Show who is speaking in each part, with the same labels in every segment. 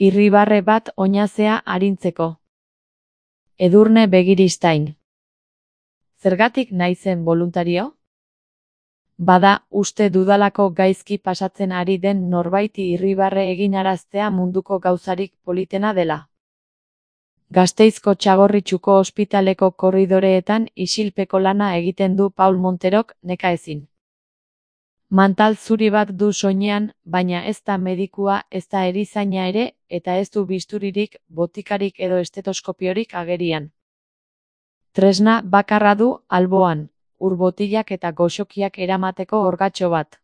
Speaker 1: Irribarre bat oinazea arintzeko. Edurne Begiristain. Zergatik naizen boluntario? Bada, uste dudalako gaizki pasatzen ari den norbaiti irribarre eginaraztea munduko gauzarik politena dela. Gasteizko Txagorritxuko ospitaleko korridoreetan isilpeko lana egiten du Paul Monterok nekaezin. Mantal zuri bat du soinean, baina ez da medikua, ez da erizaina ere, eta ez du bisturirik, botikarik edo estetoskopiorik agerian. Tresna bakarra du alboan, urbotilak eta goxokiak eramateko orgatxo bat.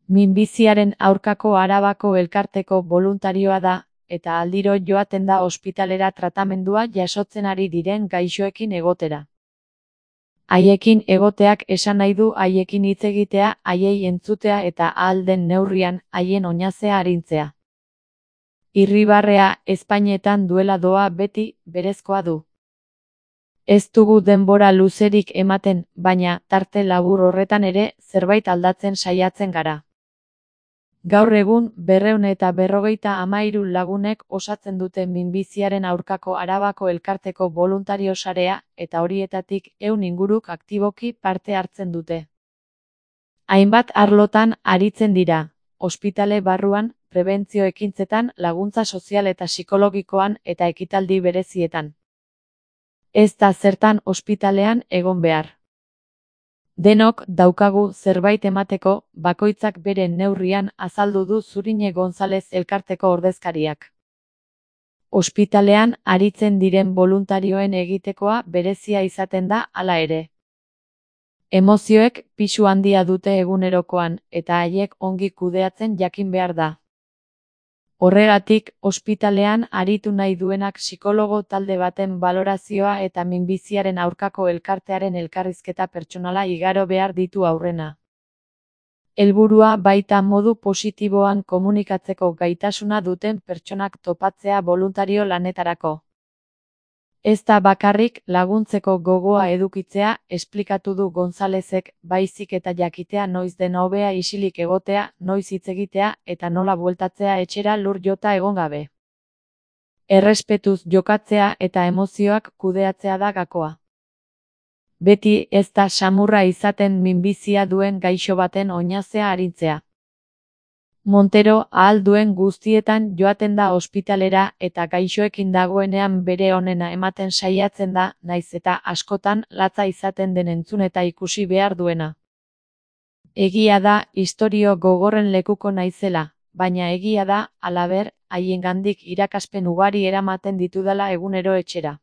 Speaker 1: Minbiziaren aurkako Arabako elkarteko boluntarioa da, eta aldiro joaten da ospitalera tratamendua jasotzen ari diren gaixoekin egotera. Haiekin egoteak esan nahi du haiekin hitz egitea, haiei entzutea eta ahal den neurrian haien oinazea arintzea. Irribarrea ezpainetan duela doa beti berezkoa du. Ez dugu denbora luzerik ematen, baina tarte labur horretan ere zerbait aldatzen saiatzen gara. Gaur egun 253 lagunek osatzen dute minbiziaren aurkako Arabako elkarteko boluntario sarea, eta horietatik 100 inguruk aktiboki parte hartzen dute. Hainbat arlotan aritzen dira, ospitale barruan, prebentzio ekintzetan, laguntza sozial eta psikologikoan eta ekitaldi berezietan. Ez da zertan ospitalean egon behar. Denok daukagu zerbait emateko, bakoitzak bere neurrian azaldu du Zurine Gonzalez elkarteko ordezkariak. Ospitalean aritzen diren boluntarioen egitekoa berezia izaten da hala ere. Emozioek pisu handia dute egunerokoan, eta haiek ongi kudeatzen jakin behar da. Horregatik, ospitalean aritu nahi duenak psikologo talde baten balorazioa eta minbiziaren aurkako elkartearen elkarrizketa pertsonala igaro behar ditu aurrena. Helburua baita modu positiboan komunikatzeko gaitasuna duten pertsonak topatzea boluntario lanetarako. Ez da bakarrik laguntzeko gogoa edukitzea, esplikatu du Gonzalezek, baizik eta jakitea noiz den hobea isilik egotea, noiz hitz egitea eta nola bueltatzea etxera lur jota egon gabe. Errespetuz jokatzea eta emozioak kudeatzea da gakoa. Beti ez da samurra izaten minbizia duen gaixo baten oinazea arintzea. Montero ahal duen guztietan joaten da ospitalera eta gaixoekin dagoenean bere onena ematen saiatzen da, naiz eta askotan latza izaten den entzun eta ikusi behar duena. Egia da istorio gogorren lekuko naizela, baina egia da, halaber, haiengandik irakaspen ugari eramaten ditudala egunero etxera.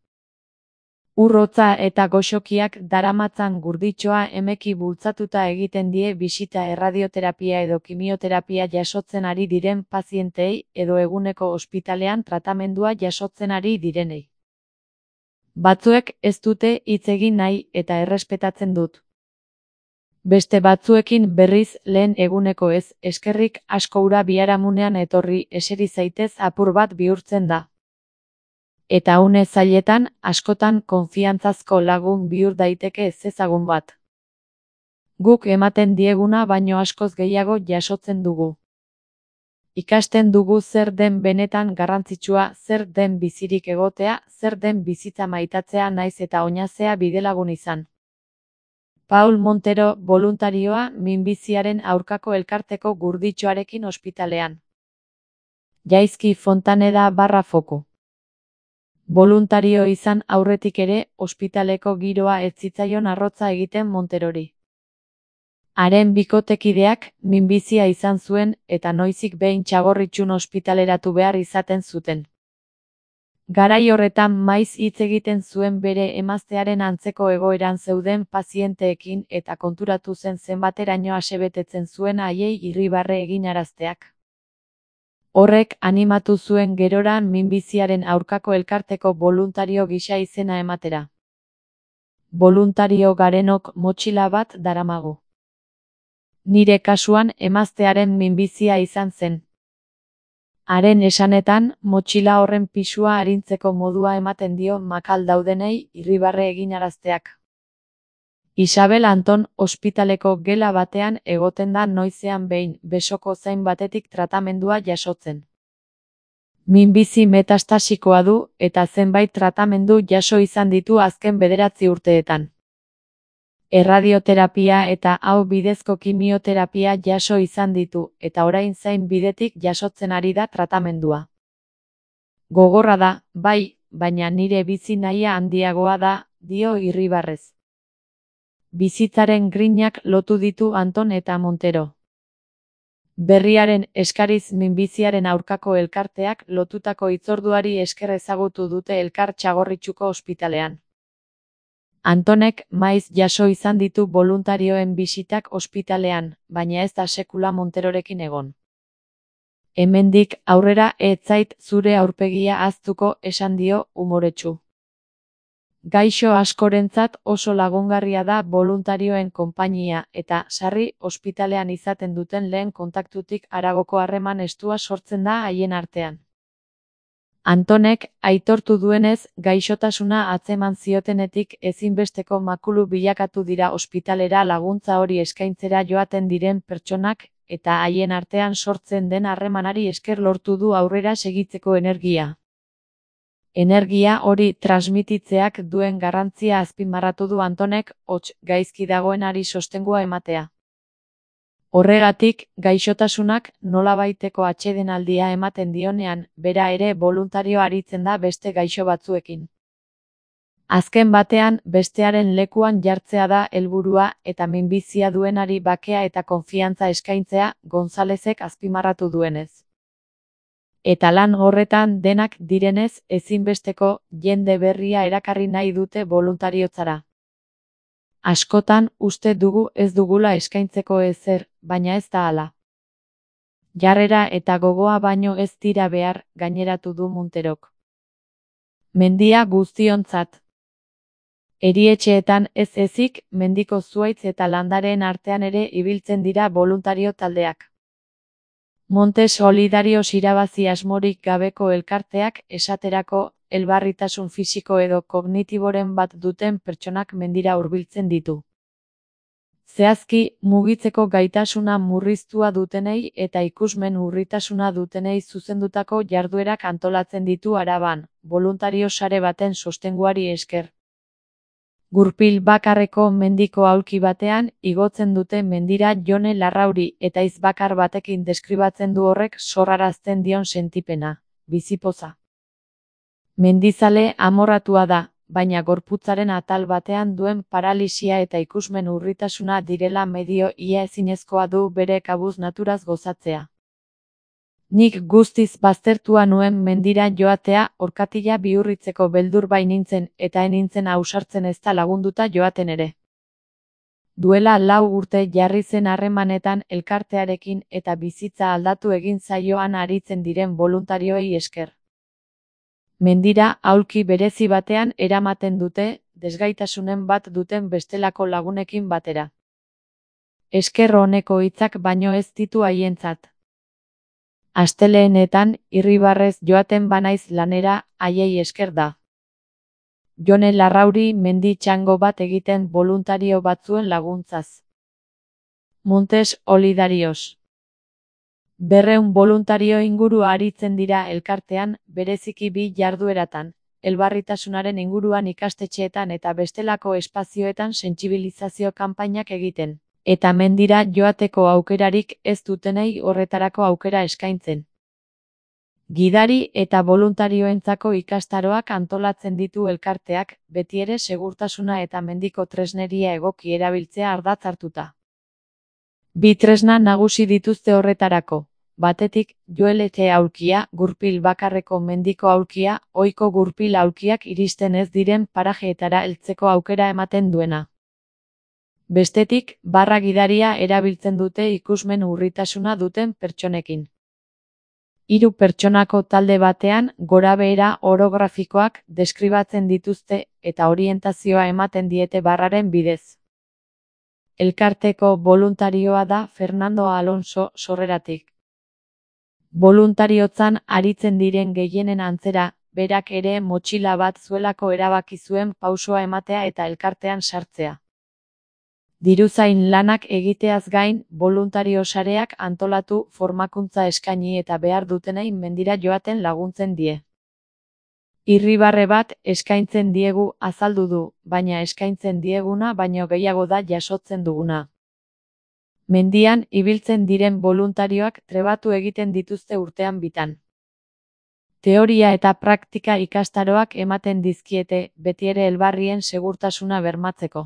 Speaker 1: Urrotza eta goxokiak daramatzan gurditxoa emeki bultzatuta egiten die bisita erradioterapia edo kimioterapia jasotzen ari diren pazientei edo eguneko ospitalean tratamendua jasotzen ari direnei. Batzuek ez dute hitz egin nahi eta errespetatzen dut. Beste batzuekin berriz lehen eguneko ez, eskerrik asko ura biharamunean etorri eseri zaitez apur bat bihurtzen da. Eta une zailetan, askotan konfiantzazko lagun bihur daiteke ezezagun bat. Guk ematen dieguna baino askoz gehiago jasotzen dugu. Ikasten dugu zer den benetan garrantzitsua, zer den bizirik egotea, zer den bizitza maitatzea naiz eta oinazea bidelagun izan. Paul Montero, boluntarioa, minbiziaren aurkako elkarteko gurditxoarekin ospitalean. Jaizki Fontaneda /foku. Boluntario izan aurretik ere, ospitaleko giroa ez zitzaion arrotza egiten Monterori. Haren bikotekideak minbizia izan zuen eta noizik behin Txagorritxun ospitaleratu behar izaten zuten. Garai horretan maiz hitz egiten zuen bere emaztearen antzeko egoeran zeuden pazienteekin eta konturatu zen zenbateraino asebetetzen zuen haiei irribarre eginarazteak. Horrek animatu zuen gerora minbiziaren aurkako elkarteko boluntario gisa izena ematera. Boluntario garenok motxila bat daramagu. Nire kasuan emaztearen minbizia izan zen. Haren esanetan, motxila horren pisua arintzeko modua ematen dio makal daudenei irribarre eginarazteak. Isabel Anton ospitaleko gela batean egoten da noizean behin besoko zain batetik tratamendua jasotzen. Minbizi metastasikoa du eta zenbait tratamendu jaso izan ditu azken 9 urteetan. Erradioterapia eta aho bidezko kimioterapia jaso izan ditu eta orain zain bidetik jasotzen ari da tratamendua. Gogorra da, bai, baina nire bizi nahia handiagoa da, dio irribarrez. Bizitzaren grinak lotu ditu Anton eta Montero. Berriaren eskariz minbiziaren aurkako elkarteak lotutako hitzorduari esker ezagutu dute elkar Txagorritxuko ospitalean. Antonek maiz jaso izan ditu boluntarioen bisitak ospitalean, baina ez da sekula Monterorekin egon. Hemendik aurrera ez zait zure aurpegia ahaztuko, esan dio umoretsu. Gaixo askorentzat oso lagungarria da boluntarioen konpainia eta sarri ospitalean izaten duten lehen kontaktutik haragoko harreman estua sortzen da haien artean. Antonek aitortu duenez, gaixotasuna atzeman ziotenetik ezinbesteko makulu bilakatu dira ospitalera laguntza hori eskaintzera joaten diren pertsonak eta haien artean sortzen den harremanari esker lortu du aurrera segitzeko energia. Energia hori transmititzeak duen garrantzia azpimarratu du Antonek, hots gaizki dagoenari sostengua ematea. Horregatik, gaixotasunak nolabaiteko atsedenaldia ematen dionean, bera ere boluntario aritzen da beste gaixo batzuekin. Azken batean, bestearen lekuan jartzea da helburua eta minbizia duenari bakea eta konfiantza eskaintzea, Gonzalezek azpimarratu duenez. Eta lan horretan denak direnez ezinbesteko jende berria erakarri nahi dute boluntariotzara. Askotan uste dugu ez dugula eskaintzeko ezer, baina ez da hala. Jarrera eta gogoa baino ez dira behar, gaineratu du Monterok. Mendia guztiontzat. Erietxeetan ez ezik, mendiko zuhaitz eta landareen artean ere ibiltzen dira boluntario taldeak. Monte Solidarios irabazi asmorik gabeko elkarteak esaterako elbarritasun fisiko edo kognitiboren bat duten pertsonak mendira hurbiltzen ditu. Zehazki, mugitzeko gaitasuna murriztua dutenei eta ikusmen urritasuna dutenei zuzendutako jarduerak antolatzen ditu Araban, boluntario sare baten sostenguari esker. Gurpil bakarreko mendiko aulki batean igotzen dute mendira Jone Larrauri eta hitz bakar batekin deskribatzen du horrek sorrarazten dion sentipena, bizipoza. Mendizale amorratua da, baina gorputzaren atal batean duen paralisia eta ikusmen urritasuna direla medio ia ezinezkoa du bere kabuz naturaz gozatzea. Nik guztiz baztertua nuen mendira joatea orkatila bihurritzeko beldur bai nintzen eta enintzen ausartzen ezta lagunduta joaten ere. Duela 4 urte jarri zen harremanetan elkartearekin eta bizitza aldatu egin zaioan aritzen diren boluntarioei esker. Mendira aulki berezi batean eramaten dute, desgaitasunen bat duten bestelako lagunekin batera. Esker oneko hitzak baino ez ditu haientzat. Asteleenetan, irribarrez joaten banaiz lanera, haiei esker da. Jone Larrauri mendi txango bat egiten boluntario batzuen laguntzaz. Montes Solidarios. 200 boluntario inguru aritzen dira elkartean, bereziki 2 jardueratan, elbarritasunaren inguruan ikastetxeetan eta bestelako espazioetan sentsibilizazio kanpainak egiten. Eta mendira joateko aukerarik ez dutenei horretarako aukera eskaintzen. Gidari eta boluntarioentzako ikastaroak antolatzen ditu elkarteak, betiere segurtasuna eta mendiko tresneria egoki erabiltzea ardatz hartuta. 2 tresna nagusi dituzte horretarako, batetik, joeletxe aulkia, gurpil bakarreko mendiko aulkia, ohiko gurpil aulkiak iristen ez diren parajeetara heltzeko aukera ematen duena. Bestetik, barra gidaria erabiltzen dute ikusmen urritasuna duten pertsonekin. 3 pertsonako talde batean, gorabehera orografikoak deskribatzen dituzte eta orientazioa ematen diete barraren bidez. Elkarteko boluntarioa da Fernando Alonso sorreratik. Boluntariotzan aritzen diren gehienen antzera, berak ere motxila bat zuelako erabaki zuen pausoa ematea eta elkartean sartzea. Diruzain lanak egiteaz gain, boluntario sareak antolatu, formakuntza eskaini eta behar dutenei mendira joaten laguntzen die. Irribarre bat eskaintzen diegu azaldu du, baina eskaintzen dieguna baino gehiago da jasotzen duguna. Mendian ibiltzen diren boluntarioak trebatu egiten dituzte urtean bitan. Teoria eta praktika ikastaroak ematen dizkiete, betiere elbarrien segurtasuna bermatzeko.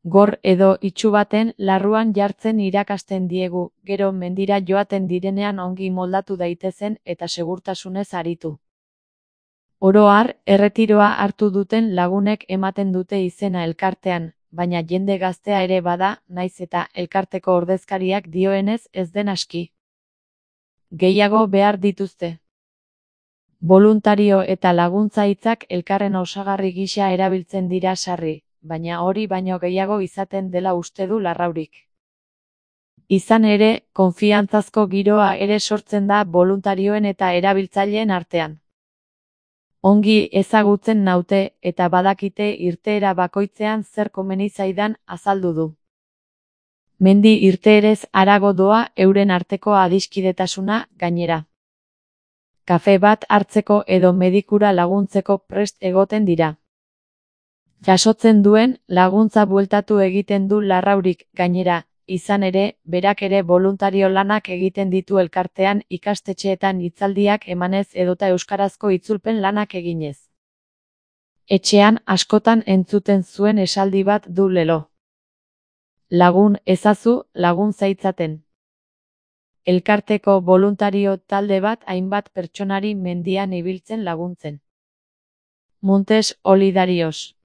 Speaker 1: Gor edo itsu baten larruan jartzen irakasten diegu, gero mendira joaten direnean ongi moldatu daitezen eta segurtasunez aritu. Oro har, erretiroa hartu duten lagunek ematen dute izena elkartean, baina jende gaztea ere bada, naiz eta elkarteko ordezkariak dioenez ez den aski. Gehiago behar dituzte. Boluntario eta laguntza hitzak elkarren osagarri gisa erabiltzen dira sarri, baina hori baino gehiago izaten dela uste du Larraurik. Izan ere, konfiantzazko giroa ere sortzen da boluntarioen eta erabiltzaileen artean. Ongi ezagutzen naute eta badakite irteera bakoitzean zer komeni zaidan azaldu du. Mendi irteerez harago doa euren arteko adiskidetasuna, gainera. Kafe bat hartzeko edo medikura laguntzeko prest egoten dira. Jasotzen duen laguntza bueltatu egiten du Larraurik, gainera, izan ere, berak ere boluntario lanak egiten ditu elkartean ikastetxeetan hitzaldiak emanez edota euskarazko itzulpen lanak eginez. Etxean askotan entzuten zuen esaldi bat du lelo. Lagun ezazu, lagun zaitzaten. Elkarteko boluntario talde bat hainbat pertsonari mendian ibiltzen laguntzen. Montes Olidarios.